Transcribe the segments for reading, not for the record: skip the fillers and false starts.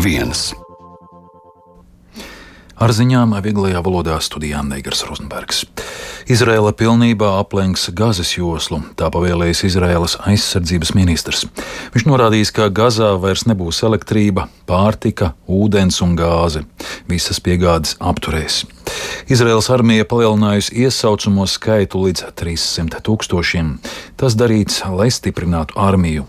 1. Ar ziņām vieglajā valodā studijā Neigars Rozenbergs. Izraēla pilnībā aplenks Gazas joslu, tā pavēlējis Izraēlas aizsardzības ministrs. Viņš norādījis, ka Gazā vairs nebūs elektrība, pārtika, ūdens un gāze. Visas piegādes apturēs. Izraēlas armija palielinājusi iesaucamo skaitu līdz 300 000. Tas darīts, lai stiprinātu armiju.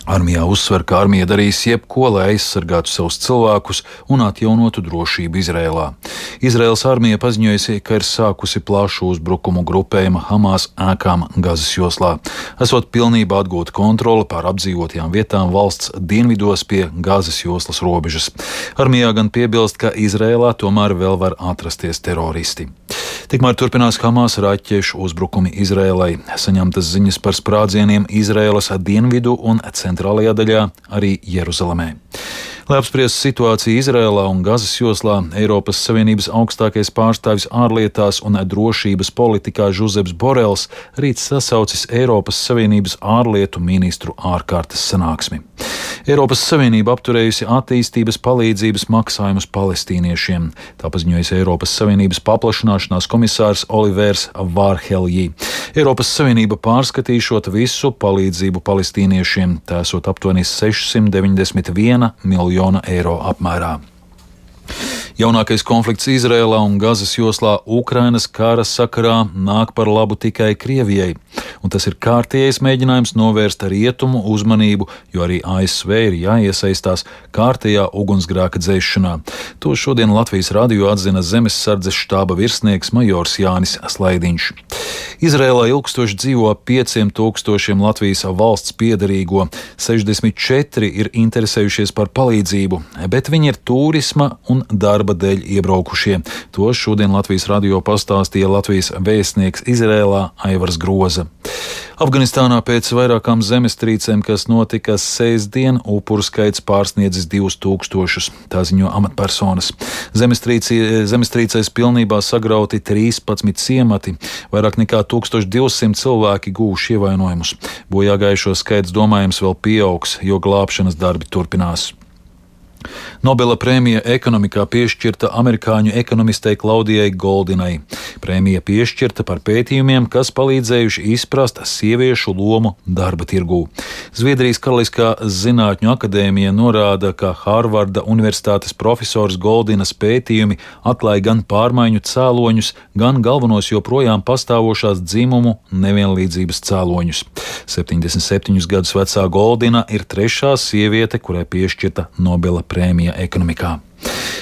Armijā uzsver, ka armija darīs jebko, lai aizsargātu savus cilvēkus un atjaunotu drošību Izrēlā. Izraēlas armija paziņojusi, ka ir sākusi plašu uzbrukumu grupējuma Hamas ēkām Gazas joslā, esot pilnībā atgūta kontrole pār apdzīvotajām vietām valsts dienvidos pie Gazas joslas robežas. Armijā gan piebilst, ka Izrēlā tomēr vēl var atrasties teroristi. Tikmēr turpinās Hamas raķešu uzbrukumi Izrēlai. Saņemtas ziņas par sprādzieniem Izrēlas dienvidu un centrālajā daļā, arī Jeruzalemē. Lai apspriestu situāciju Izrēlā un Gazas joslā, Eiropas Savienības augstākais pārstāvis ārlietās un drošības politikā Žuzeps Borels rīt sasaucis Eiropas Savienības ārlietu ministru ārkārtas sanāksmi. Eiropas Savienība apturējusi attīstības palīdzības maksājumus palestīniešiem, tā paziņojas Eiropas Savienības paplašināšanās komisārs Olivers Vārheljī. Eiropas Savienība pārskatīšot visu palīdzību palestīniešiem, tā esot aptuveni 691 miljonu eiro apmērā. Jaunākais konflikts Izrēlā un Gazas joslā Ukrainas kara sakarā nāk par labu tikai Krievijai, un tas ir kārtējais mēģinājums novērst rietumu uzmanību, jo arī ASV ir jāiesaistās kārtējā ugunsgrēka dzēšanā. To šodien Latvijas radio atzina Zemessardzes štāba virsnieks majors Jānis Slaidiņš. Izrēlā ilgstoši dzīvo 5000 Latvijas valsts piederīgo, 64 ir interesējušies par palīdzību, bet viņi ir turisma un darba dēļ iebraukušie. To šodien Latvijas radio pastāstīja Latvijas vēstnieks Izrēlā Aivars Groza. Afganistānā pēc vairākām zemestrīcēm, kas notika sestdien, upuru skaits pārsniedzis 2000, tā ziņo amatpersonas. Zemestrīcēs pilnībā sagrauti 13 ciemati, vairāk nekā 1200 cilvēki guvuši ievainojumus. Bojāgājušo skaits domājams vēl pieaugs, jo glābšanas darbi turpinās. Nobela prēmija ekonomikā piešķirta amerikāņu ekonomistei Klaudijai Goldinai. Prēmija piešķirta par pētījumiem, kas palīdzējuši izprast sieviešu lomu darba tirgū. Zviedrijas Karaliskā zinātņu akadēmija norāda, ka Hārvarda universitātes profesors Goldinas pētījumi atklāja gan pārmaiņu cēloņus, gan galvenos joprojām pastāvošās dzimumu nevienlīdzības cēloņus. 77 gadus vecā Goldina ir trešā sieviete, kurai piešķirta Nobela prēmija ekonomikā.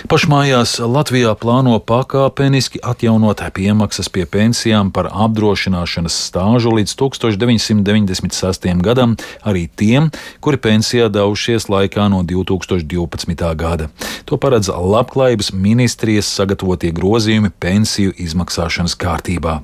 Pašmājās Latvijā plāno pakāpeniski atjaunot piemaksas pie pensijām par apdrošināšanas stāžu līdz 1996. gadam arī tiem, kuri pensijā devušies laikā no 2012. gada. To paredz Labklājības ministrijas sagatavotie grozījumi pensiju izmaksāšanas kārtībā.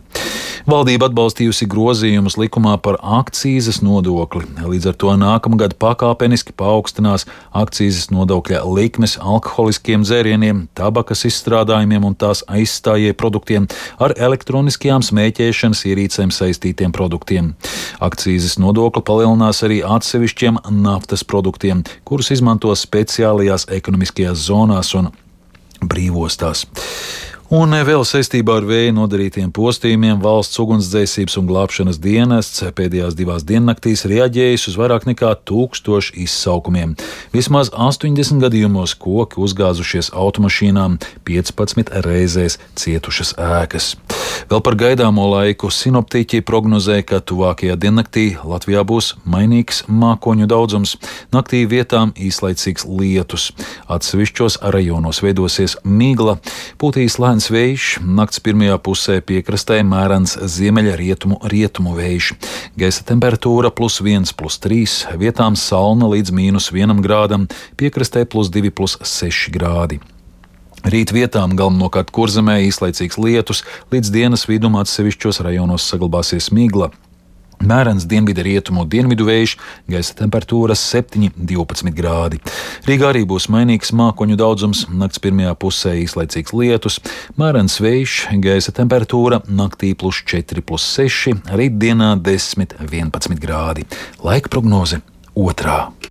Valdība atbalstījusi grozījumus likumā par akcīzes nodokli. Līdz ar to nākamgad pakāpeniski paaugstinās akcīzes nodokļa likmes alkoholiskiem dzērieniem, tabakas izstrādājumiem un tās aizstājēju produktiem ar elektroniskajām smēķēšanas ierīcēm saistītiem produktiem. Akcīzes nodokli palielinās arī atsevišķiem naftas produktiem, kurus izmanto speciālajās ekonomiskajās zonās un brīvostās. Un vēl saistībā ar vēja nodarītiem postījumiem valsts ugunsdzēsības un glābšanas dienests pēdējās 2 diennaktīs reaģējis uz vairāk nekā 1000 izsaukumiem. Vismaz 80 gadījumos koki uzgāzušies automašīnām, 15 reizēs cietušas ēkas. Vēl par gaidāmo laiku sinoptiķi prognozē, ka tuvākajā diennaktī Latvijā būs mainīgs mākoņu daudzums, naktī vietām īslaicīgs lietus. Atsevišķos rajonos veidosies migla, pūtīs lēns vējš, nakts pirmajā pusē piekrastē mērens ziemeļrietumu vējš. Gaisa temperatūra +1, +3, vietām salna līdz -1 grādam, piekrastē +2, +6 grādi. Rīt vietām galvenokārt Kurzemē īslaicīgs lietus, līdz dienas vidum atsevišķos rajonos saglabāsies migla. Mērens dienvidu vējš, gaisa temperatūra 7–12 grādi. Rīgā arī būs mainīgs mākoņu daudzums, nakts pirmajā pusē īslaicīgs lietus, mērens vējš, gaisa temperatūra naktī +4, +6, rītdienā 10–11 grādi. Laika prognoze 2.